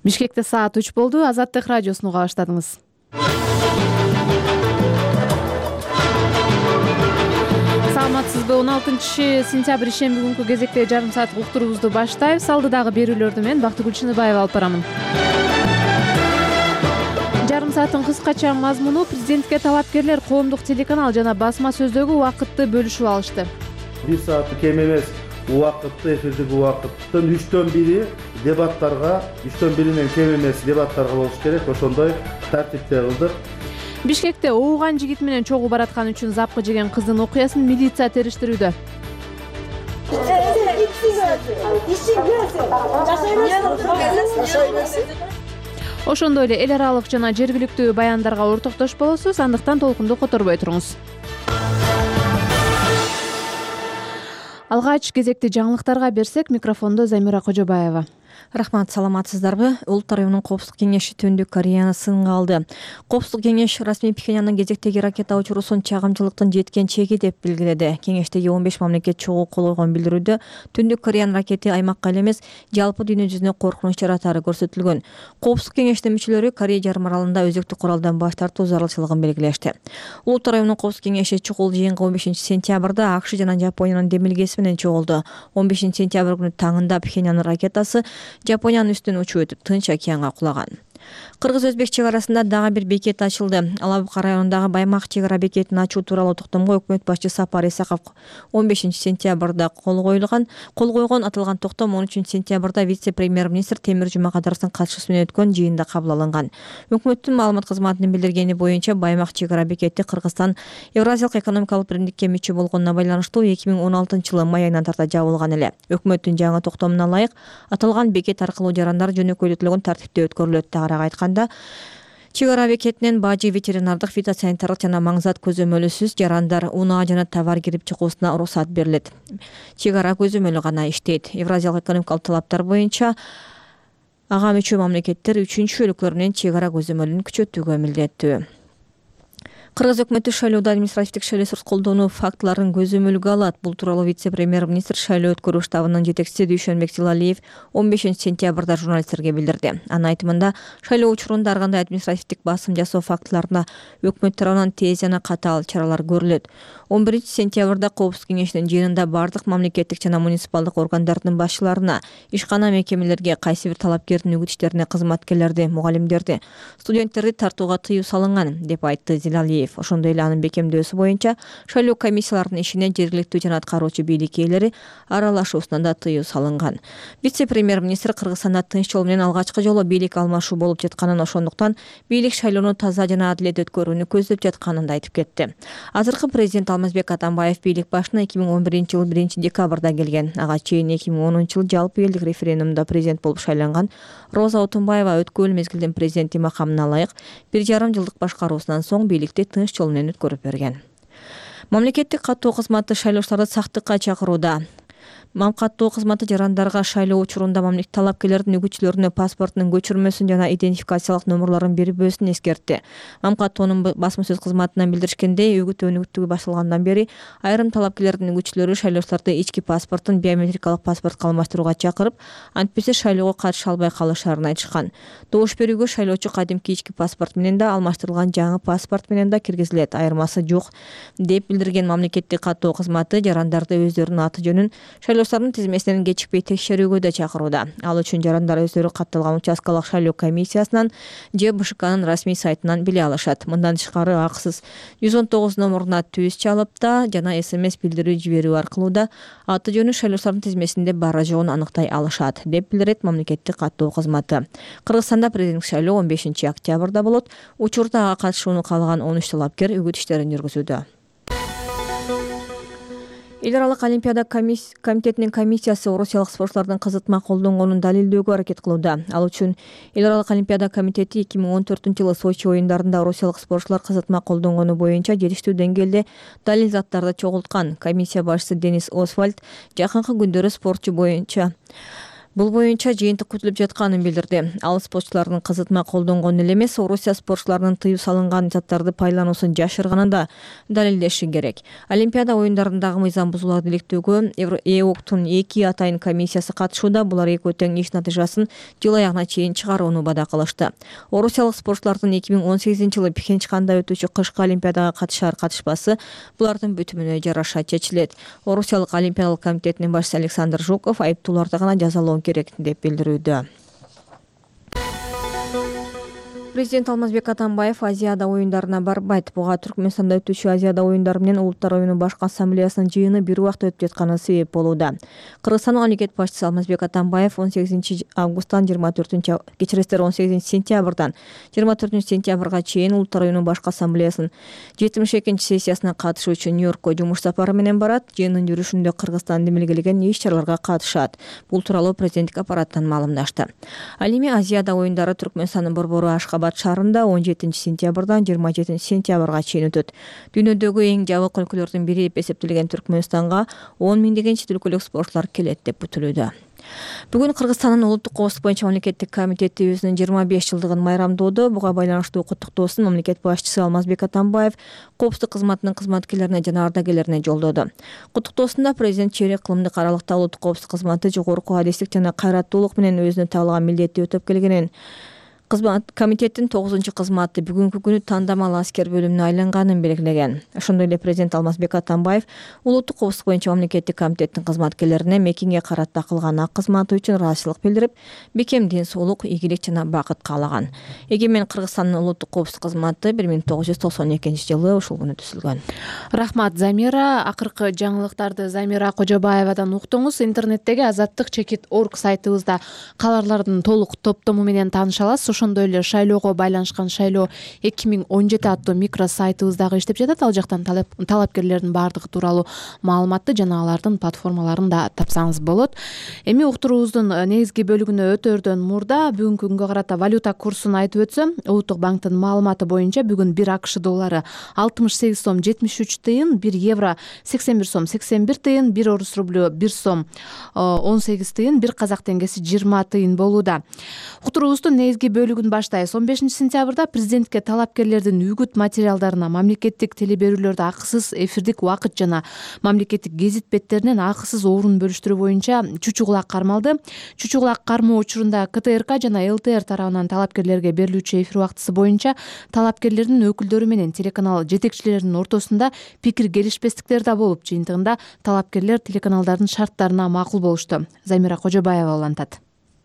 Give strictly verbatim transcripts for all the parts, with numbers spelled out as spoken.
Бишкекте саат үч болду. Азаттык радиосун уга баштадыңыз. Саламатсызбы? он алтынчы сентябрь ишемби күнкү кезекте жарым сааттык уктуруубузду баштайбыз. Алдыдагы берүүлөрдү мен Бактыгүл Чыныбаева алып барамын. Жарым сааттын кыскача мазмуну: президентке талапкерлер коомдук телеканал жана басма сөздөгү убакытты бөлүшүп алышты. бир саатты кем эмес убакытты, эфирдик убакыттын үчтөн бири дебаттарга, үчтөн биринен кем эмес дебаттарга болуш керек. Ошондой тартипте кылдык. Бишкекте ууган жигит менен чогуу бараткан үчүн запкы жеген кыздын окуясын милиция териштирүүдө. Ошондой эле эл аралык жана жергиликтүү баяндарга ортоктош болосуз, андыктан толкунду которбой туруңуз. Алгач кезекти жаңылыктарга берсек, микрофондо Замира Кожобаева. Рахмат, саламатсыздарбы? Улуттар уюмунун Коопсуздук кеңеши Түндүк Кореяны сынга алды. Коопсуздук кеңеш расмий Пхеньяндын кезектеги ракета учуруусун чагымчылыктын жеткен чеги деп белгиледи. Кеңештеги он беш мамлекет чогуу кол койгон билдирүүдө Түндүк Кореянын ракети аймакка эле эмес, жалпы дүйнө жүзүнө коркунуч жаратары көрсөтүлгөн. Коопсуздук кеңештин мүчөлөрү Корея жарым аралында өзөктүк куралдан баш тартуу зарылчылыгын белгилешти. Улуттар уюмунун Коопсуздук кеңеши чукул жыйынга он бешинчи сентябрда АКШ жана Жапониянын демилгеси менен чогулду. он бешинчи сентябрь күнү таңында Пхеньяндын ракетасы Жапониянын үстүнөн учуп өтүп Тынч океанга кулаган. Кыргыз-Өзбек чек арасында дагы бир бекет ачылды. Алабука районундагы Баймак чек ара бекетин ачуу тууралуу токтомго өкмөт башчысы Сапар Исаков он бешинчи сентябрда кол коюлган. Кол койгон аталган токтом он үчүнчү сентябрда вице-премьер-министр Темир Жумакадыровдун катышуусу менен өткөн жыйында кабыл алынган. Өкмөттүн маалымат кызматынын билдиргени боюнча Баймак чек ара бекети Кыргызстан Евразиялык экономикалык биримдикке мүчө болгонуна байланыштуу эки миң он алтынчы жылы май айынан тарта жабылган эле. Өкмөттүн жаңы токтомуна ылайык аталган бекет аркылуу жарандар жөнөкөйлөтүлгөн тартипте өткөрүлөт. Тагыраак айтканда, чек ара бекетинен бажы, ветеринардык, фитосанитардык жана маңзат көзөмөлүсүз жарандар, унаа жана товар кирип чыгуусуна уруксат берилет. Чек ара көзөмөлү гана иштейт. Евразиялык экономикалык талаптар боюнча ага мүчө мамлекеттер үчүнчү өлкөлөр чек ара көзөмөлүн күчөтүүгө милдеттүү. Кыргыз өкмөтү шайлоодо административдик шайлоосуз колдонуу фактыларын көзөмөлгө алат. Бул тууралуу вице-премьер-министр шайлоо өткөрүү штабынын жетекчиси Дүйшөнбек Зилалиев он бешинчи сентябрда журналисттерге билдирди. Анын айтымында, шайлоо учурунда ар кандай административдик басым жасоо фактыларына өкмөт тарабынан тез жана катаал чаралар көрүлөт. он биринчи сентябрда Коопсуздук кеңешинин жыйынында бардык мамлекеттик жана муниципалдык органдардын башчыларына, ишкана мекемелерге, кайсы бир талапкердин үгүт иштерине кызматкерлерди, мугалимдерди, студенттерди тартууга тыюу салынган, деп айтты Зилалиев. Ошондой эле анын бекемдөөсү боюнча шайлоо комиссияларынын ишине жергиликтүү жана аткаруучу бийлик ээлери аралашуусуна да тыюу салынган. Вице-премьер-министр Кыргызстанда тынч жол менен алгачкы жолу бийлик алмашуу болуп жатканын, ошондуктан бийлик шайлоону таза жана адилет өткөрүүнү көздөп жатканын да айтып кетти. Азыркы президент Алмазбек Атамбаев бийлик башына эки миң он биринчи жылы биринчи декабрда келген. Ага чейин эки миң онунчу жылы жалпы элдик референдумда президент болуп шайланган Роза Отунбаева өткөн мезгилдин президенти макамына ылайык бир жарым жылдык башкаруусунан соң бийликти тынч жол менен өткөрүп берген. Мамлекеттик каттоо кызматы шайлоочуларды сактыкка чакырууда. Мам каттоо кызматы жарандарга шайлоо учурунда мамлекет талапкерлердин үгүтчүлөрүнө паспортунун көчүрмөсүн жана идентификациялык номерлорун бербөөсүн эскертти. Мам каттоонун басма сөз кызматынан билдиришкендей, үгүт өнүгүтүгү башталгандан бери айрым талапкерлердин үгүтчүлөрү шайлоочуларды ички паспортун биометрикалык паспортко алмаштырууга чакырып, антпесе шайлоого катыша албай калышаарын айтышкан. Добуш берүүгө шайлоочу кадимки ички паспорт менен да, алмаштырылган жаңы паспорт менен да киргизилет, айырмасы жок, деп билдирген мамлекеттик каттоо кызматы жарандарды өздөрүнүн аты жөнүн шайлоочулардын тизмесинен кечикпей текшерүүгө да чакырууда. Ал үчүн жарандар өздөрү катталган участкалык шайлоо комиссиясынан же БШКнын расмий сайтынан биле алышат. Мындан тышкары акысыз жүз он тогуз номуруна түз чалып да жана смс билдирүү жиберүү аркылуу да аты жөнү шайлоочулардын тизмесинде бары жогун аныктай алышат, деп билдирет мамлекеттик каттоо кызматы. Кыргызстанда президенттик шайлоо он бешинчи октябрда болот. Учурда ага катышууну каалаган он үч талапкер үгүт иштерин жүргүзүүдө. Эл аралык олимпиада комитетинин комиссиясы орусиялык спортчулардын кызытма колдонгонун далилдөөгө аракет кылууда. Ал үчүн Эл аралык олимпиада комитети эки миң он төртүнчү жылы Сочи оюндарында орусиялык спортчулар кызытма колдонгону боюнча жетиштүү деңгээлде далил заттарды чогулткан. Комиссия башчысы Денис Освальд жакынкы күндөрү спортчу боюнча Бул боюнча жыйынтык күтүлүп жатканын билдирди. Ал спортчулардын кызытма колдонгон эле эмес, Орусия спортчуларынын тыюу салынган заттарды пайдалануусун жашырганын да далилдеши керек. Олимпиада оюндарындагы мыйзам бузууларды иликтөөгө ЭОКтун эки атайын комиссиясы катышууда. Булар экөө тең иш натыйжасын жыл аягына чейин чыгарууну бада кылышты. Орусиялык спортчулардын эки миң он сегизинчи жылы Пхенчханда өтүүчү кышкы олимпиадага катышар катышпасы булардын бүтүмүнө жараша чечилет. Орусиялык олимпиадалык комитетинин башчысы Александр Жуков айыптууларды гана жазалоо керек деп билдирүүдө. Президент Алмазбек Атамбаев Азияда оюндарына барбайт. Буга Түркмөнстанда өтүүчү Азияда оюндары менен Улуттар оюну башкы ассамблеясынын жыйыны бир убакта өтүп жатканы себеп болууда. Кыргызстандын мамлекет башчысы Алмазбек Атамбаев он сегизинчи августтан жыйырма төртүнчү кечиресиздер он сегизинчи сентябрдан жыйырма төртүнчү сентябрга чейин Улуттар оюну башкы ассамблеясынын жетимиш экинчи сессиясына катышуу үчүн Нью-Йоркко жумуш сапары менен барат. Жыйындын жүрүшүндө Кыргызстан демилгелеген иш-чараларга катышат. Бул тууралуу президенттик аппараттан маалымдашты. Ал эми Азияда оюндары Түркмөнстандын борбору Ашкабад шаарында он жетинчи сентябрдан жыйырма жетинчи сентябрга чейин өтөт. Дүйнөдөгү эң жабык өлкөлөрдүн бири деп эсептелген Түркмөнстанга он миңдеген чет өлкөлүк спортчулар келет деп күтүлүүдө. Бүгүн Кыргызстандын улуттук коопсуздук боюнча мамлекеттик комитети өзүнүн жыйырма беш жылдыгын майрамдоодо. Буга байланыштуу куттуктоосун мамлекет башчысы Алмазбек Атамбаев коопсуздук кызматынын кызматкерлерине жана ардагерлерине жолдоду. Куттуктоосунда президент чейрек кылымдык аралыкта улуттук коопсуздук кызматы жогорку адистик жана кайраттуулук менен өзүнө табылган милдетти өтөп келгенин, Кызмат комитеттин тогузунчу кызматы бүгүнкү күнү тандамал аскер бөлүмүнө айланганын белгилеген. Ошондой эле президент Алмазбек Атамбаев улуттук коопсуздук боюнча мамлекеттик комитеттин кызматкерлерине мекенге карата кылган ак кызматы үчүн ыраазычылык билдирип, бекем ден соолук, ийгилик жана бакыт каалаган. Эгемен Кыргызстандын улуттук коопсуздук кызматы бир миң тогуз жүз токсон экинчи жылы ушул күнү түзүлгөн. Рахмат, Замира. Акыркы жаңылыктарды Замира Кожобаевадан уктуңуз. Интернеттеги азаттык чекит точка орг сайтыбызда каларлардын толук топтому менен тааныша аласыз. Ошондой эле шайлоого байланышкан шайлоо эки миң он жети аттуу микро сайтыбыз дагы иштеп жатат. Ал жактан талапкерлердин баардыгы тууралуу маалыматты жана алардын платформаларын да тапсаңыз болот. Эми уктуруубуздун негизги бөлүгүнө өтөөрдөн мурда бүгүнкү күнгө карата валюта курсун айтып өтсөм, Улуттук банктын маалыматы боюнча бүгүн бир АКШ доллары алтымыш сегиз сом жетимиш үч тыйын, бир евро сексен бир сом сексен бир тыйын, бир орус рублю бир сом он сегиз тыйын, бир казак теңгеси жыйырма тыйын болууда. Уктуруубуздун негизги бөлүгүн баштайбыз. он бешинчи сентябрда президентке талапкерлердин үгүт материалдарына мамлекеттик телеберүүлөрдө акысыз эфирдик убакыт жана мамлекеттик гезит беттеринен акысыз орун бөлүштүрүү боюнча чучу кулак кармалды. Чучу кулак кармоо учурунда КТРК жана ЛТР тарабынан талапкерлерге берилүүчү эфир убактысы боюнча талапкерлердин өкүлдөрү менен телеканал жетекчилеринин ортосунда пикир келишпестиктер да болуп, жыйынтыгында талапкерлер телеканалдардын шарттарына макул болушту. Замира Кожобаева улантат.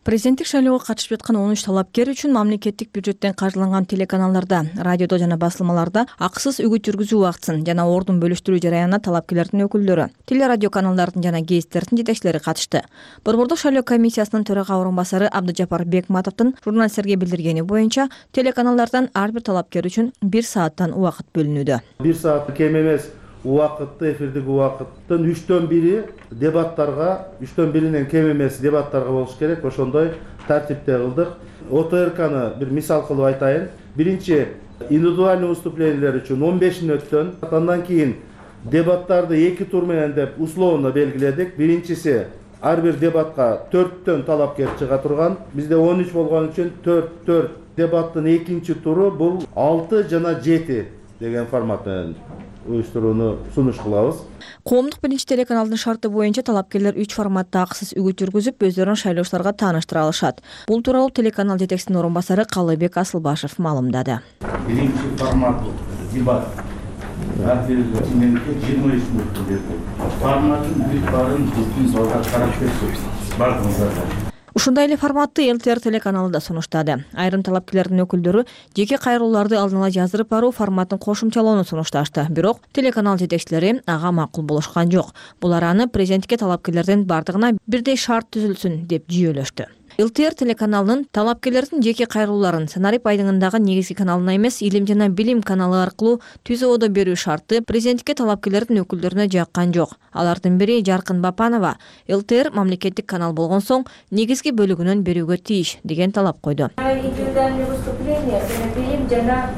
Президенттик шайлоого катышып жаткан он үч талапкер үчүн мамлекеттик бюджеттен каржыланган телеканалдарда, радиодо жана басылмаларда акысыз үгүт жүргүзүү убактысын жана ордун бөлүштүрүү жараянына талапкерлердин өкүлдөрү, телерадио каналдардын жана гезиттердин жетекчилери катышты. Борбордук шайлоо комиссиясынын төрага орун басары Абдыжапар Бекматовдун журналисттерге билдиргени боюнча телеканалдардан ар бир талапкер үчүн бир сааттан убакыт бөлүнүүдө. бир саат кем эмес убакытты, эфирдик убакыттын үчтөн бири дебаттарга, үчтөн биринен кем эмес дебаттарга болуш керек. Ошондой тартипте кылдык. ОТРКны бир мисал кылып айтайын. Биринчи индивидуальный выступлениялер үчүн он беш мүнөттөн, андан кийин дебаттарды эки тур менен деп условно белгиледик. Биринчиси ар бир дебатка төрттөн талапкер чыга турган. Бизде он үч болгон үчүн төрт төрт. Дебаттын экинчи туру бул алты жана жети деген формат менен уюштурууну сунуш кылабыз. Коомдук биринчи телеканалдын шарты боюнча талапкерлер үч форматта акысыз үгүт жүргүзүп, өздөрүн шайлоочуларга тааныштыра алышат. Бул тууралуу телеканал жетекчисинин орун басары Калыбек Асылбашев маалымдады. Биринчи формат дебат. Меники жыйырма үч мүнөттө берди. Форматын бүт барын бүткүн залга карап көрсөтүп, бардыгыңыздарга. Ушундай эле форматты ЛТР телеканалы да сунуштады. Айрым талапкерлердин өкүлдөрү жеке кайрылууларды алдын ала жаздырып баруу форматын кошумчалоону сунушташты. Бирок телеканал жетекчилери ага макул болушкан жок. Булар аны президентке талапкерлердин бардыгына бирдей шарт түзүлсүн деп жүйөлөштү. ЛТР телеканалынын талапкерлердин жеке кайрылууларын сценарий пайдыңындагы негизги каналына эмес, Илим жана билим каналы аркылуу түз ободо берүү шарты президентке талапкерлердин өкүлдөрүнө жаккан жок. Алардын бири Жаркын Бапанова ЛТР мамлекеттик канал болгон соң негизги бөлүгүнөн берүүгө тийиш деген талап койду. Индивидуальное выступление билим жана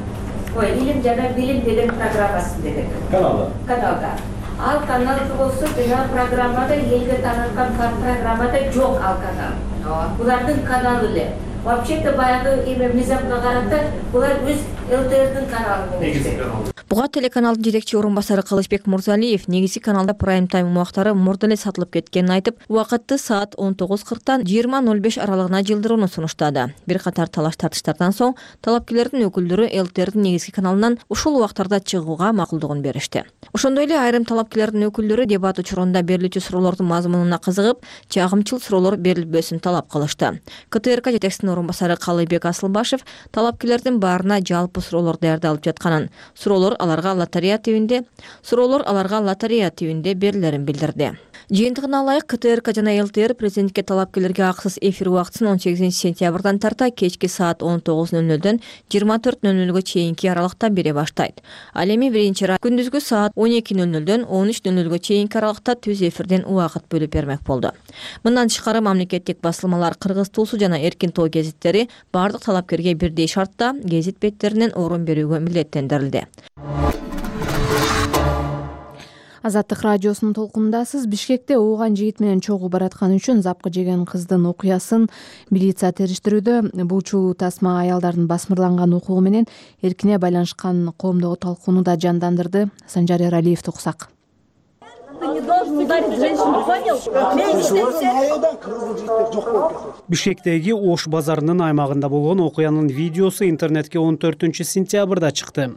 ой, Илим жана билим деген программасын дедик. Каналда. Каналда. Ал канал болсо жана программада элге таанылган программада жок ал канал. Булардын каналы эле. Вообще-то баягы эме мыйзамга карата булар өз ЛТРдин каналы болушу. Буга телеканалдын жетекчи орун басары Кылычбек Мурзалиев негизги каналда прайм тайм убактары мурда эле сатылып кеткенин айтып, убакытты саат он тогуз кырктан жыйырма ноль беш аралыгына жылдырууну сунуштады. Бир катар талаш тартыштардан соң талапкерлердин өкүлдөрү ЛТРдин негизги каналынан ушул убактарда чыгууга макулдугун беришти. Ошондой эле айрым талапкерлердин өкүлдөрү дебат учурунда берилүүчү суроолордун мазмунуна кызыгып, чагымчыл суроолор берилбесин талап кылышты. КТРК жетекчисинин орун басары Калыйбек Асылбашев талапкерлердин баарына жалпы суроолор даярдалып жатканын, суроолор аларга лотерея тибинде суроолор аларга лотерея тибинде берилерин билдирди. Жыйынтыгына ылайык КТРК жана ЛТР президентке талапкерлерге акысыз эфир убактысын он сегизинчи сентябрдан тарта кечки саат он тогуз ноль нолдон жыйырма төрт ноль нолго чейинки аралыкта бере баштайт. Ал эми биринчи раз күндүзгү саат он эки ноль нолдон он үч ноль нолго чейинки аралыкта түз эфирден убакыт бөлүп бермек болду. Мындан тышкары мамлекеттик басылмалар, Кыргыз Туусу жана Эркин Тоо гезиттери бардык талапкерге бирдей шартта гезит беттеринен орун берүүгө милдеттендирилди. Азаттык радиосунун толкунундасыз. Бишкекте ууган жигит менен чогуу баратканы үчүн запкы жеген кыздын окуясын милиция териштирүүдө. Бул чуу тасма аялдардын басмырланган укугу менен эркине байланышкан коомдогу талкууну да жандандырды. Санжар Эралиев туксак. Бишкектеги Ош базарынын аймагында болгон окуянын видеосу интернетке он төртүнчү сентябрда чыкты.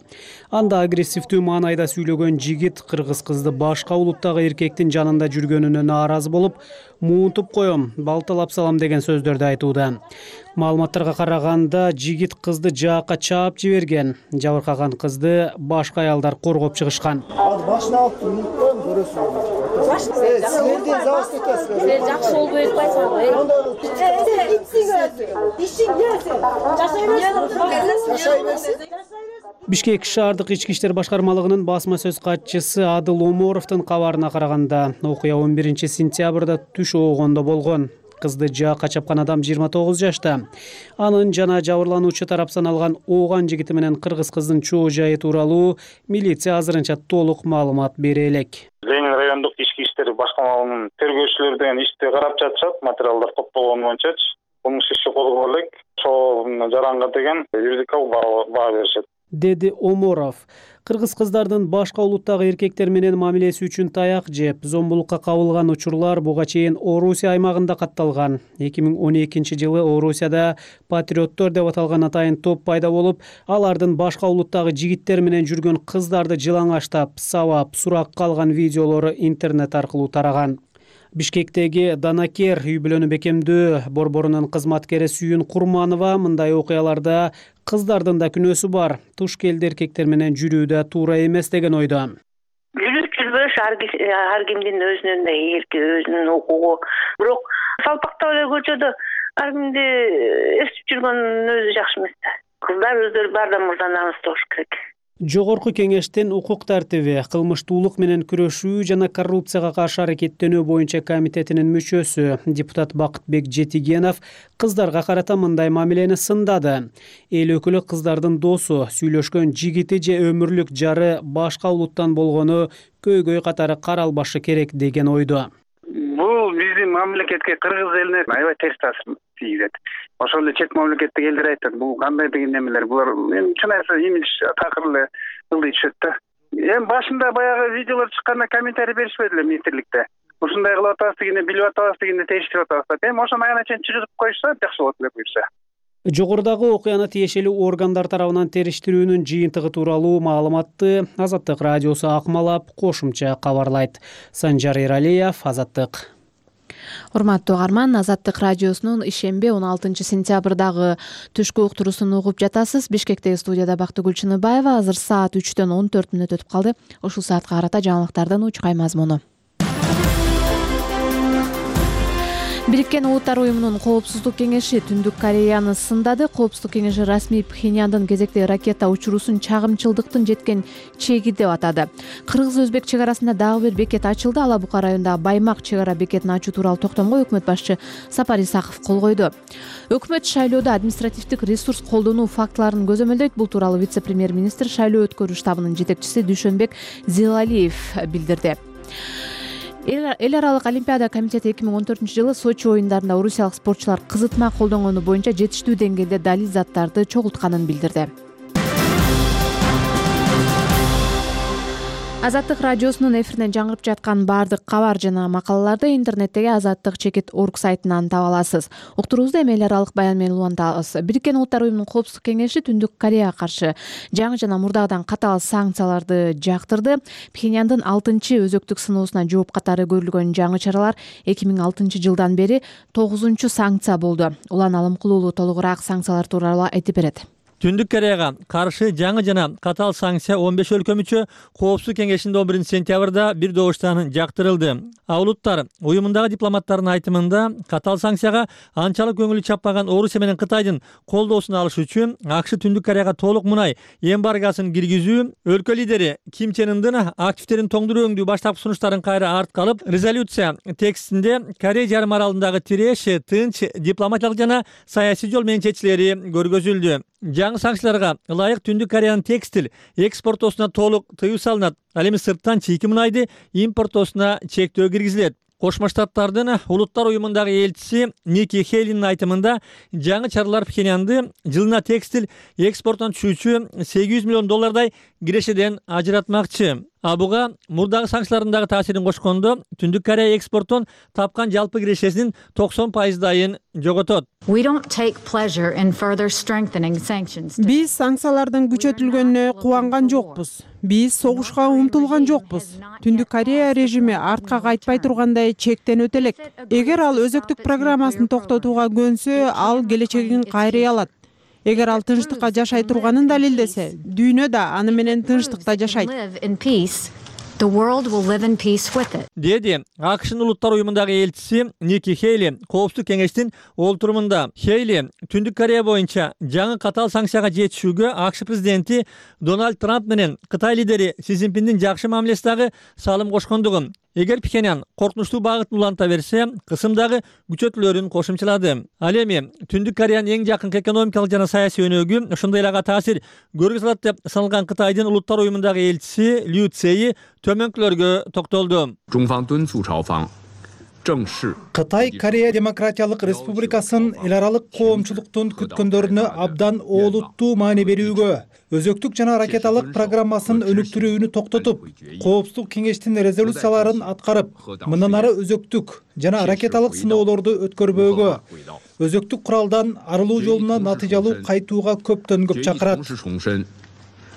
Анда агрессивдүү маанайда сүйлөгөн жигит кыргыз кызды башка улуттагы эркектин жанында жүргөнүнө нааразы болуп, муунтуп коем, балталап салам деген сөздөрдү айтууда. Маалыматтарга караганда жигит кызды жаакка чаап жиберген. Жабыркаган кызды башка аялдар коргоп чыгышкан. Башына алып муунтуп көрөсүң. Силердин завоз экенсиз. Силер жакшы болбой атпайсыңар. Бишкек шаардык ички иштер башкармалыгынын басма сөз катчысы Адыл Оморовдун кабарына караганда, окуя он биринчи сентябрда түш оогондо болгон. Кызды жаакка чапкан адам жыйырма тогуз жашта. Анын жана жабырлануучу тарап саналган ооган жигити менен кыргыз кыздын чоо жайы тууралуу милиция азырынча толук маалымат бере элек. Ленин райондук ички иштер башкармалыгынын тергөөчүлөрү деген ишти карап жатышат, материалдар топтолгон боюнчачы. Кылмыш иши козголо элек. Ошол жаранга деген юридикалык баа беришет, деди Оморов. Кыргыз кыздардын башка улуттагы эркектер менен мамилеси үчүн таяк жеп, зомбулукка кабылган учурлар буга чейин Орусия аймагында катталган. эки миң он экинчи жылы Орусияда патриоттор деп аталган атайын топ пайда болуп, алардын башка улуттагы жигиттер менен жүргөн кыздарды жылаңаштап, сабап, суракка алган видеолору интернет аркылуу тараган. Бишкектеги Данакер үй бүлөнү бекемдөө борборунун кызматкери Сүйүн Курманова мындай окуяларда кыздардын да күнөөсү бар, туш келди эркектер менен жүрүүдө туура эмес деген ойдо. Жүрүп жүрбөш ар кимдин өзүнүн да эрки, өзүнүн укугу. Бирок салпактап эле көчөдө ар кимди эстип жүргөн өзү жакшы эмес да. Кыздар өздөрү баардан мурда намыстуу болуш керек. Жогорку кеңештин укук тартиби, кылмыштуулук менен күрөшүү жана коррупцияга каршы аракеттенүү боюнча комитетинин мүчөсү депутат Бакытбек Жетигенов кыздарга карата мындай мамилени сындады. Эл өкүлү кыздардын досу, сүйлөшкөн жигити же өмүрлүк жары башка улуттан болгону көйгөй катары каралбашы керек деген ойдо. Бул биздин мамлекетке, кыргыз элине аябай терс таасир тийгизет. Ошол эле чет мамлекеттеги элдер айтат, бул кандай деген немелер, булар эми чын айтса имидж такыр эле ылдый түшөт да. Эми башында баягы видеолор чыкканда комментарий беришпеди эле министрликте. Ушундай кылып атабыз дегенде, билип атабыз дегенде териштирип атабыз да. Эми ошону аяна чейин чыгырып коюшса жакшы болот эле буюрса. Жогорудагы окуяны тиешелүү органдар тарабынан териштирүүнүн жыйынтыгы тууралуу маалыматты Азаттык радиосу акмалап кошумча кабарлайт. Санжар Эралиев, Азаттык. Урматтуу угарман, Азаттык радиосунун ишемби он алтынчы сентябрдагы түшкү уктуруусун угуп жатасыз. Бишкектеги студияда Бактыгүл Чыныбаева. Азыр саат үчтөн он төрт мүнөт өтүп калды. Ушул саатка карата жаңылыктардын учкай мазмуну. Бириккен Улуттар уюмунун Коопсуздук кеңеши Түндүк Кореяны сындады. Коопсуздук кеңеши расмий Пхеньяндын кезекте ракета учуруусун чагымчылдыктын жеткен чеги деп атады. Кыргыз-өзбек чек арасында дагы бир бекет ачылды. Ала Бука районундагы Баймак чек ара бекетин ачуу тууралуу токтомго өкмөт башчы Сапар Исаков кол койду. Өкмөт шайлоодо административдик ресурс колдонуу фактыларын көзөмөлдөйт. Бул тууралуу вице-премьер-министр шайлоо өткөрүү штабынын жетекчиси Дүйшөнбек Зилалиев билдирди. Эл аралык олимпиада комитети эки миң он төртүнчү жылы Сочи оюндарында орусиялык спортчулар кызытма колдонгону боюнча жетиштүү деңгээлде далил заттарды чогултканын билдирди. Азаттык радиосунун эфиринен жаңырып жаткан баардык кабар жана макалаларды интернеттеги азаттык чекит орг сайтынан таба аласыз. Уктуруубузду эми эл аралык баян менен улантабыз. Бириккен Улуттар уюмунун Коопсуздук кеңеши Түндүк Кореяга каршы жаңы жана мурдагыдан катаал санкцияларды жактырды. Пхеньяндын алтынчы өзөктүк сыноосуна жооп катары көрүлгөн жаңы чаралар эки миң алтынчы жылдан бери тогузунчу санкция болду. Улан Алымкулуу толугураак санкциялар тууралуу айтып берет. Түндүк Кореяга каршы жаңы жана катаал санкция он беш өлкө мүчө Коопсуздук кеңешинде он биринчи сентябрда бир добуштан жактырылды. А улуттар уюмундагы дипломаттардын айтымында катаал санкцияга анчалык көңүлү чаппаган Орусия менен Кытайдын колдоосун алыш үчүн АКШ Түндүк Кореяга толук мунай эмбаргосын киргизүү, өлкө лидери Ким Чен Ындын активдерин тоңдуруу өңдүү баштапкы сунуштарын кайра артка алып, резолюция текстинде Корея жарым аралындагы тиреш, тынч, дипломатиялык жана саясий жол менен чечилери көргөзүлдү. Жаңы санкцияларга ылайык Түндүк Кореянын текстиль экспортоосуна толук тыюу салынат. Ал эми сырттан чийки мунайды импортоосуна чектөө киргизилет. Кошмо Штаттардын улуттар уюмундагы элчиси Ники Хейлинин айтымында жаңы чаралар Пхеньянды жылына текстиль экспортунан түшүүчү сегиз жүз миллион доллардай кирешеден ажыратмакчы. А буга мурдагы санкциялардын дагы таасирин кошкондо Түндүк Корея экспорттон тапкан жалпы кирешесинин токсон пайыздайын жоготот. Биз санкциялардын күчөтүлгөнүнө кубанган жокпуз. Биз согушка умтулган жокпуз. Түндүк Корея режими артка кайтпай тургандай чектенүүтө элек. Эгер ал өзөктүк программасын токтотууга көнсө, ал келечегин кайрый алат. Эгер ал тынчтыкка жашай турганын далилдесе, дүйнө да аны менен тынчтыкта жашайт. Деди АКШнын улуттар уюмундагы элчиси Ники Хейли Коопсуздук кеңештин олтурумунда. Хейли Түндүк Корея боюнча жаңы катаал санкцияга жетишүүгө АКШ президенти Дональд Трамп менен Кытай лидери Си Цзиньпиндин жакшы мамилесиндагы салым кошкондугун, эгер Пхеньян коркунучтуу багытын уланта берсе, кысымдагы күчөтүүлөрүн кошумчалады. Ал эми Түндүк Кореянын эң жакын экономикалык жана саясий өнөгү ошондой эле ага таасир көргөзө алат деп саналган Кытайдын улуттар уюмундагы элчиси Лю Цзеи төмөнкүлөргө токтолду. Кытай Корея Демократиялык Республикасын эл аралык коомчулуктун күткөндөрүнө абдан олуттуу маани берүүгө, өзөктүк жана ракеталык программасын өнүктүрүүнү токтотуп, Коопсуздук кеңештин резолюцияларын аткарып, мындан ары өзөктүк жана ракеталык сыноолорду өткөрбөөгө, өзөктүк куралдан арылуу жолуна натыйжалуу кайтууга көптөн көп чакырат.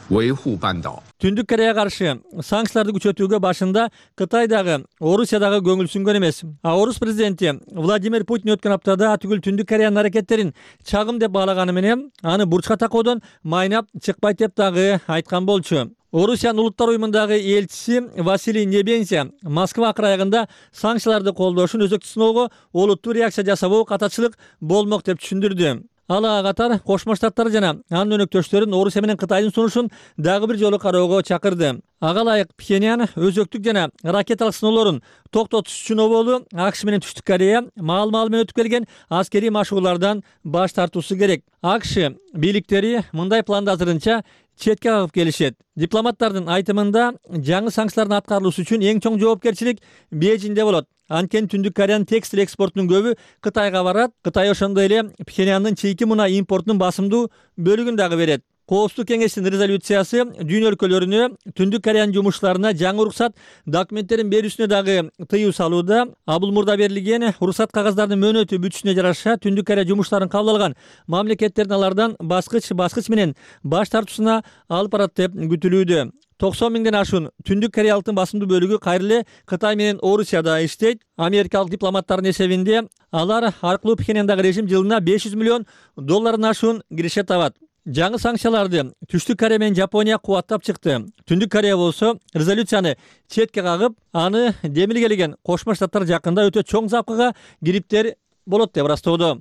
Түндүк Кореяга каршы санкцияларды күчөтүүгө башында Кытайдагы, Орусиядагы көңүлсүнгөн эмес. А Орус президенти Владимир Путин өткөн аптада атүгүл Түндүк Кореянын аракеттерин чагым деп баалаганы менен аны бурчка такоодон майнап чыкпайт деп дагы айткан болчу. Орусиянын улуттар уюмундагы элчиси Василий Небензя Москва акырайыгында санкцияларды колдошун өзөктүк сыноого олуттуу реакция жасабоо катачылык болмок деп түшүндүрдү. Ал ага катар Кошмо Штаттар жана анын өнөктөштөрүн Орусия менен Кытайдын сунушун дагы бир жолу кароого чакырды. Ага ылайык Пхеньян өзөктүк жана ракеталык сыноолорун токтотуш үчүн оболу АКШ менен Түштүк Корея маал-маал менен өтүп келген аскерий машыгуулардан баш тартуусу керек. АКШ бийликтери мындай планды азырынча четке кагып келишет. Дипломаттардын айтымында жаңы санкциялардын аткарылышы үчүн эң чоң жоопкерчилик Бейжиңде болот. Анткени Түндүк Кореянын текстиль экспортунун көбү Кытайга барат. Кытай ошондой эле Пхеньяндын чийки мунай импортунун басымдуу бөлүгүн дагы берет. Коопсуздук кеңештин резолюциясы дүйнө өлкөлөрүнө Түндүк Кореянын жумушчуларына жаңы уруксат документтерин берүүсүнө дагы тыюу салууда. А бул мурда берилген уруксат кагаздардын мөөнөтү бүтүшүнө жараша Түндүк Корея жумушчуларын кабыл алган мамлекеттердин алардан баскыч баскыч менен баш тартуусуна алып барат деп күтүлүүдө. токсон миңден ашуун Түндүк Кореялыктын басымдуу бөлүгү кайра эле Кытай менен Орусияда иштейт. Америкалык дипломаттардын эсебинде алар аркылуу Пхеньяндагы режим жылына беш жүз миллион доллардан ашуун киреше табат. Жаңы санкцияларды Түштүк Корея менен Жапония кубаттап чыкты. Түндүк Корея болсо резолюцияны четке кагып, аны демилгелеген Кошмо Штаттар жакында өтө чоң запкыга кириптер болот деп ырастоодо.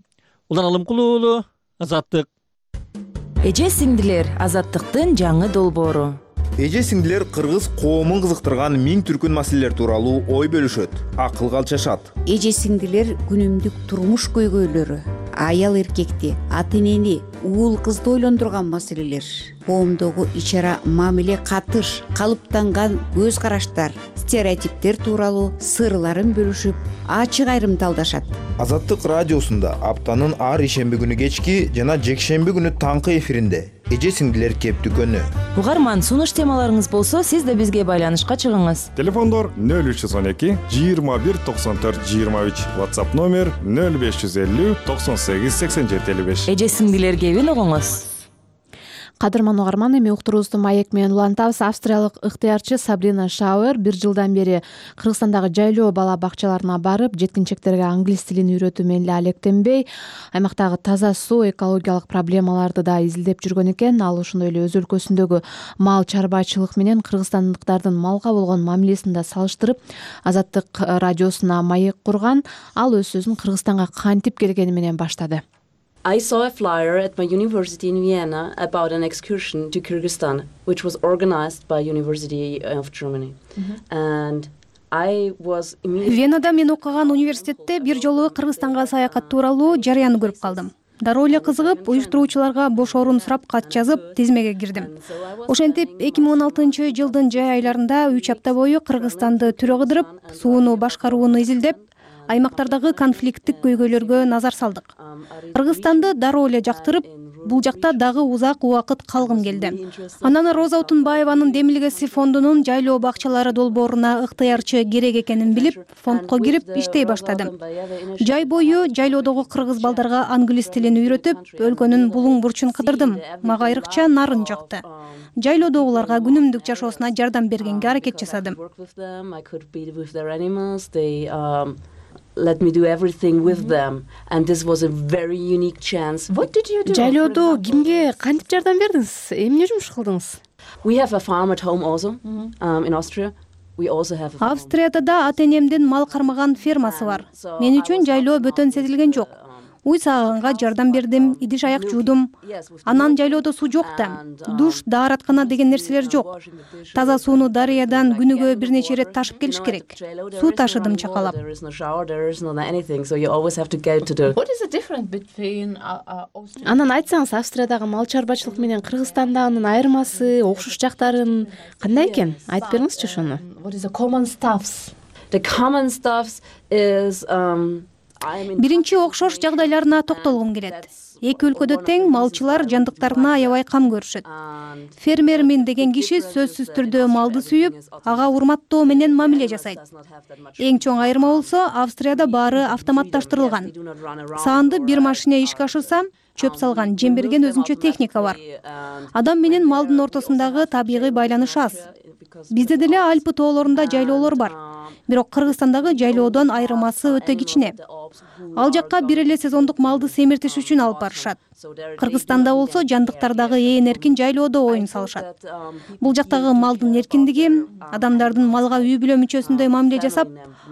Улан Алымкулуу, Азаттык. Эже сиңдилер, Азаттыктын жаңы долбоору. Эже сиңдилер кыргыз коомун кызыктырган миң түркүн маселелер тууралуу ой бөлүшөт, акылга алчашат. Эже сиңдилер күнүмдүк турмуш көйгөйлөрү, аял эркекти, ата энени, уул кызды ойлондурган маселелер, коомдогу ич ара мамиле катыш, калыптанган көз караштар, стереотиптер тууралуу сырларын бөлүшүп, ачык айрымталдашат. Азаттык радиосунда аптанын ар ишемби күнү кечки жана жекшемби күнү таңкы эфиринде эже сиңдилер кеп дүкөнү. Угарман, сунуш темаларыңыз болсо, сиз да бизге байланышка чыгыңыз. Телефондор нөл үч жүз он эки жыйырма бир токсон төрт жыйырма үч, WhatsApp номер нөл беш жүз элүү токсон сегиз сексен жети элүү беш. Эже сиңдилер кебин угуңуз. Кадырман угарман, эми уктуруубузду маек менен улантабыз. Австриялык ыктыярчы Сабрина Шауэр бир жылдан бери Кыргызстандагы жайлоо бала бакчаларына барып, жеткинчектерге англис тилин үйрөтүү менен эле алектенбей, аймактагы таза суу, экологиялык проблемаларды да изилдеп жүргөн экен. Ал ошондой эле өз өлкөсүндөгү мал чарбачылык менен кыргызстандыктардын малга болгон мамилесин да салыштырып, Азаттык радиосуна маек курган. Ал өз сөзүн Кыргызстанга кантип келгени менен баштады. I saw a flyer at my university in Vienna about an excursion to Kyrgyzstan, which was organized by University of Germany. Mm-hmm. And I was immediately... Венада мен окуган университетте бир жолу Кыргызстанга саякат тууралуу жарыяны көрүп калдым. Дароо эле кызыгып, уюштуруучуларга бош орун сурап кат жазып, тизмеге кирдим. Ошентип эки миң он алтынчы жылдын жай айларында үч апта бою Кыргызстанды түрө кыдырып, сууну башкарууну изилдеп, аймактардагы конфликттик көйгөйлөргө назар салдык. Кыргызстанды дароо эле жактырып, бул жакта дагы узак убакыт калгым келди. Анан Роза Утунбаеванын Демилгеси фондунун жайлоо бакчалары долбооруна ыктыярчы керек экенин билип, фондко кирип иштей баштадым. Жай бою жайлоодогу кыргыз балдарга англис тилин үйрөтүп, өлкөнүн булуң бурчун кыдырдым. Мага айрыкча нарын жакты. Жайлоодогуларга күнүмдүк жашоосуна жардам бергенге аракет жасадым. Let me do everything with them, and this was a very unique chance. What did you do? Жайлоодо кимге кантип жардам бердиңиз? Эмне жумуш кылдыңыз? We have a farm at home also um, in Austria. We also have a Австрияда да ата-энемдин мал кармаган фермасы бар. Мен үчүн жайлоо бөтөн сезилген жок. Уй сааганга жардам бердим, идиш аяк жуудум. Анан жайлоодо суу жок да. Душ, даараткана деген нерселер жок. Таза сууну дарыядан күнүгө бир нече ирет ташып келиш керек. Суу ташыдым чакалап. Анан айтсаңыз, Австриядагы мал чарбачылык менен Кыргызстандагынын айырмасы, окшош жактарын кандай экен? Айтып бериңизчи ошону. What is the common stuffs? The common stuffs is um Биринчи окшош жагдайларына токтолгум келет. Эки өлкөдө тең малчылар жандыктарына аябай кам көрүшөт. Фермермин деген киши сөзсүз түрдө малды сүйүп, ага урматтоо менен мамиле жасайт. Эң чоң айырма болсо, Австрияда баары автоматташтырылган. Саанды бир машине ишке ашырса, чөп салган, жем берген өзүнчө техника бар. Адам менен малдын ортосундагы табигый байланыш аз. Бизде деле Альпы тоолорунда жайлоолор бар. Бирок Кыргызстандагы жайлоодон айырмасы өтө кичине. Ал жакка бир эле сезондук малды семиртиш үчүн алып барышат. Кыргызстанда болсо жандыктардагы ээн эркин жайлоодо оюн салышат. Бул жактагы малдын эркиндиги, адамдардын малга үй бүлө мүчөсүндөй мамиле жасап,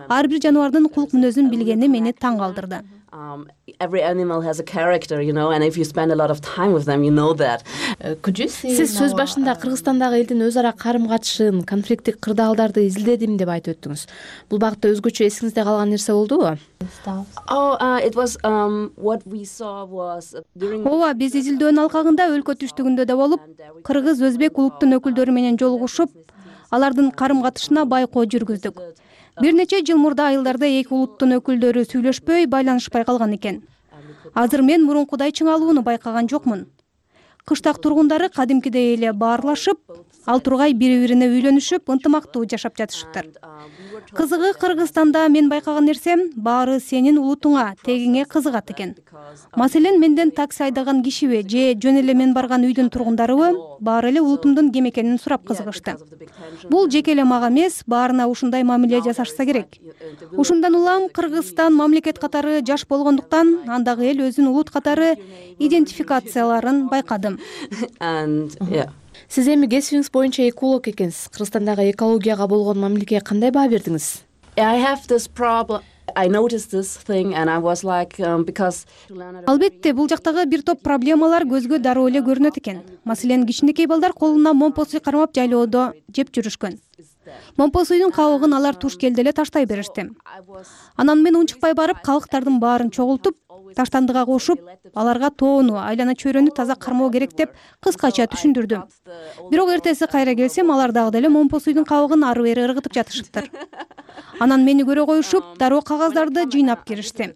ар бир жаныбардын кулк мүнөзүн билгени мени таң калтырды. Um, every animal has a character, you know, and if you spend a lot of time with them, you know that. Сиз сөз башында Кыргызстандагы элдин өз ара карым-катышын, конфликттик кырдаалдарды изилдедим деп айтып өттүңүз. Бул багытта өзгөчө эсиңизде калган нерсе болдубу? Oh, uh, it was um what we saw was during Ооба, биз изилдөөнүн алкагында өлкө түштүгүндө да болуп, кыргыз, өзбек улуттун өкүлдөрү менен жолугушуп, алардын карым-катышына байкоо жүргүздүк. Бир нече жыл мурда айылдарда эки улуттун өкүлдөрү сүйлөшпөй, байланышпай калган экен. Азыр мен мурункудай чыңалууну байкаган жокмун. Кыштак тургундары кадимкидей эле баарлашып, ал тургай бири-бирине үйлөнүшүп, ынтымактуу жашап жатышыптыр. Кызыгы, Кыргызстанда мен байкаган нерсем, баары сенин улутуңа, тегиңе кызыгат экен. Маселен, менден такси айдаган кишиби же жөн эле мен барган үйдүн тургундарыбы баары эле улутумдун ким экенин сурап кызыгышты. Бул жеке эле мага эмес, баарына ушундай мамиле жасашса керек. Ушундан улам Кыргызстан мамлекет катары жаш болгондуктан, андагы эл өзүн улут катары идентификацияларын байкадым. Сиз эми кесибиңиз боюнча эколог экенсиз. Кыргызстандагы экологияга болгон мамилеге кандай баа бердиңиз? I have this problem. I noticed this thing and I was like um, because Албетте, бул жактагы бир топ проблемалар көзгө дароо эле көрүнөт экен. Маселен, кичинекей балдар колуна момпосуй кармап жайлоодо жеп жүрүшкөн. момпо суйдун кабыгын алар туш келди эле таштай беришти. Анан мен унчукпай барып калктардын баарын чогултуп, таштандыга кошуп, аларга тоону, айлана чөйрөнү таза кармоо керек деп кыскача түшүндүрдүм. Бирок эртеси кайра келсем, алар дагы деле момпо суйдун кабыгын ары бери ыргытып жатышыптыр. Анан мени көрө коюшуп, дароо кагаздарды жыйнап киришти.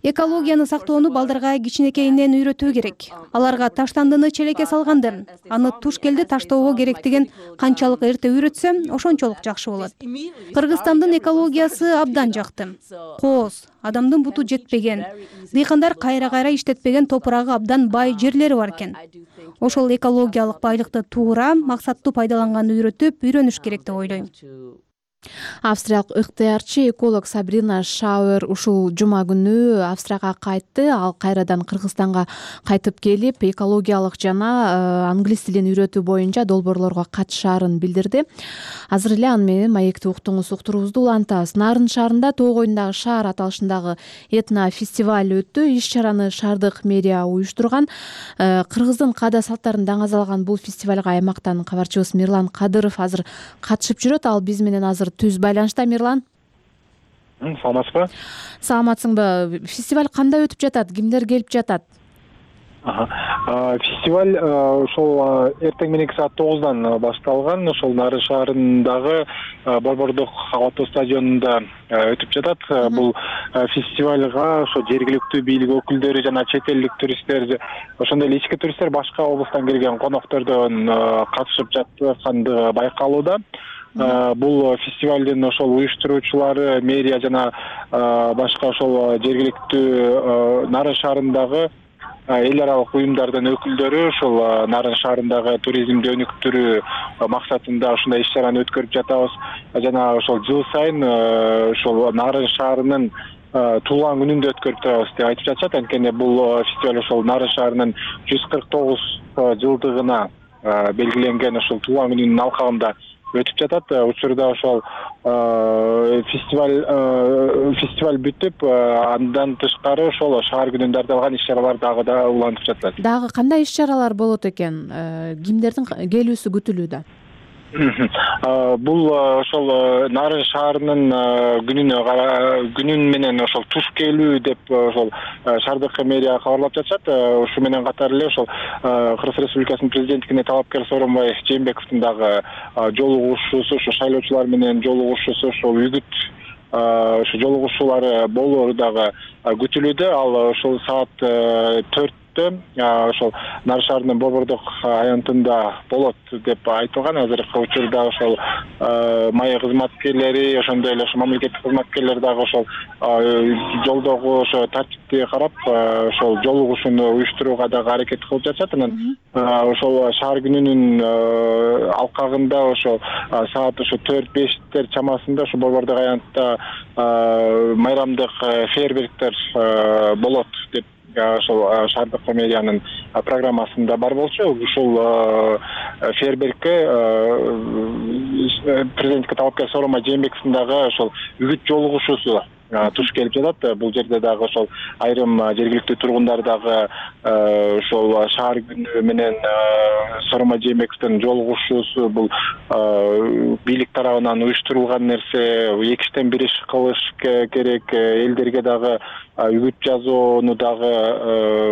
Экологияны сактоону балдарга кичинекейинен үйрөтүү керек. Аларга таштандыны челекке салганды, аны туш келди таштоого керектигин канчалык эрте үйрөтсө, ошончолук жакшы болот. Кыргызстандын экологиясы абдан жакты. Кооз, адамдын буту жетпеген, дыйкандар кайра-кайра иштетпеген топурагы абдан бай жерлери бар экен. Ошол экологиялык байлыкты туура, максаттуу пайдаланганды үйрөтүп, үйрөнүш керек деп ойлойм. Австриялык ыктыярчы эколог Сабрина Шауэр ушул жума күнү Австрияга кайтты. Ал кайрадан Кыргызстанга кайтып келип, экологиялык жана англис тилин үйрөтүү боюнча долбоорлорго катышаарын билдирди. Азыр эле аны менен маекти уктуңуз, уктуруубузду улантабыз. Нарын шаарында Тоо коюндагы шаар аталышындагы этно фестиваль өттү. Иш-чараны шаардык мэрия уюштурган. Кыргыздын каада салттарын даңазалган бул фестивалга аймактан кабарчыбыз Мирлан Кадыров азыр катышып жүрөт. Ал биз менен азыр түз байланышта. Мирлан, саламатсызбы? Саламатсыңбы? Фестиваль кандай өтүп жатат? Кимдер келип жатат? Фестиваль ошол эртең мененки саат тогуздан башталган. Ошол Нарын шаарындагы Борбордук аба стадионунда өтүп жатат. Бул фестивалга ошо жергиликтүү бийлик өкүлдөрү жана чет элдик туристтер, ошондой эле ички туристтер, башка облустан келген коноктордон катышып жаткандыгы байкалууда. Бул фестивалдын ошол уюштуруучулары, мэрия жана башка ошол жергиликтүү Нарын шаарындагы эл аралык уюмдардын өкүлдөрү ошол Нарын шаарындагы туризмди өнүктүрүү максатында ушундай иш-чараны өткөрүп жатабыз. Жана ошол жыл сайын ошол Нарын шаарынын туулган күнүндө өткөрүп турабыз деп айтып жатышат. Анткени бул фестиваль ошол Нарын шаарынын жүз кырк тогуз жылдыгына белгиленген ошол туулган күнүнүн алкагында өтүп жатат. Учурда ошол фестиваль фестиваль бүтүп, андан тышкары ошол шаар күнүндө арналган иш-чаралар дагы да улантып жатат. Дагы кандай иш-чаралар болот экен? Кимдердин келүүсү күтүлүүдө? Бул ошол Нарын шаарынын күнүнө күнүн менен ошол туш келүү деп ошол шаардык мэрия кабарлап жатышат. Ушу менен катар эле ошол Кыргыз Республикасынын президенттигине талапкер Сооронбай Жээнбековдун дагы жолугушуусу, ошо шайлоочулар менен жолугушуусу, ошол үгүт ошо жолугушуулары болуу дагы күтүлүүдө. Ал ошол саат төрттө ошол Нарын шаарынын Борбордук аянтында болот деп айтылган. Азыркы учурда ошол майя кызматкерлери, ошондой эле ошо мамлекеттик кызматкерлер дагы ошол жолдогу ошо тартипти карап, ошол жолугушууну уюштурууга дагы аракет кылып жатышат. Анан ошол шаар күнүнүн алкагында ошол саат ошо төрт бештер чамасында ошо Борбордук аянтта майрамдык фейерверктер болот деп ошол шаардык мэриянын программасында бар болчу. Ушул фейерверкке президентке талапкер Сооронбай Жээнбековдун дагы ошол үгүт жолугушуусу туш келип жатат. Бул жерде дагы ошол айрым жергиликтүү тургундар дагы ошол шаар күнү менен Сооронбай Жээнбековдун жолугушуусу бул бийлик тарабынан уюштурулган нерсе, экиштен бир иш кылыш керек, элдерге дагы үгүт жазууну дагы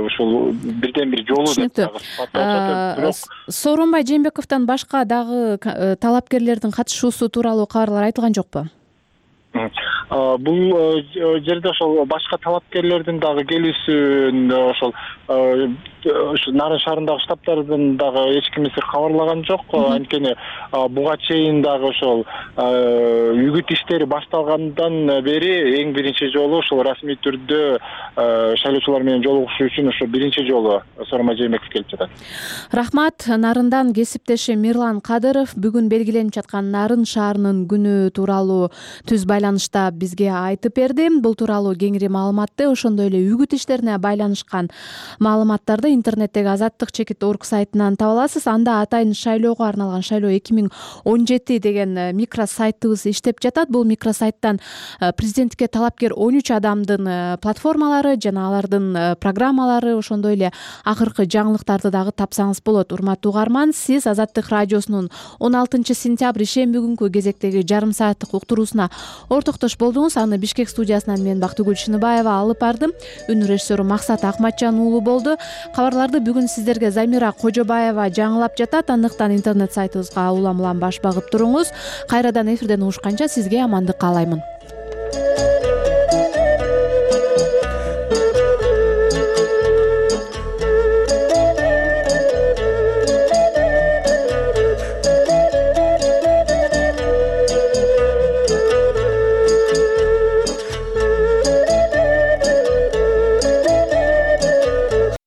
ушул бирден бир жолу деп дагы. Сооронбай Жээнбековдон башка дагы талапкерлердин катышуусу тууралуу кабарлар айтылган жокпу? Бул жерде ошол башка талапкерлердин дагы келүүсүн ошол Нарын шаарындагы штабтардын дагы эч кимиси кабарлаган жок. Анткени буга чейин дагы ошол үгүт иштери башталгандан бери эң биринчи жолу ошол расмий түрдө шайлоочулар менен жолугушуу үчүн ошо биринчи жолу Сооронбай Жээнбеков келип жатат. Рахмат. Нарындан кесиптешим Мирлан Кадыров бүгүн белгиленип жаткан Нарын шаарынын күнү тууралуу түз байланышта бизге айтып берди. Бул тууралуу кеңири маалыматты, ошондой эле үгүт иштерине байланышкан маалыматтарды интернеттеги азаттык чекит орг сайтынан таба аласыз. Анда атайын шайлоого арналган шайлоо эки миң он жети деген микро сайтыбыз иштеп жатат. Бул микро сайттан президенттикке талапкер он үч адамдын платформалары жана алардын программалары, ошондой эле акыркы жаңылыктарды дагы тапсаңыз болот. Урматтуу угарман, сиз Азаттык радиосунун он алтынчы сентябрь ишемби күнкү кезектеги жарым сааттык уктуруусуна ортоктош болдуңуз. Аны Бишкек студиясынан мен Бактыгүл Шыныбаева алып бардым. Үн режиссеру Максат Акматжан уулу болду. Кабарларды бүгүн сиздерге Замира Кожобаева жаңылап жатат. Андыктан интернет сайтыбызга улам улам баш багып туруңуз. Кайрадан эфирден угушканча сизге амандык каалаймын.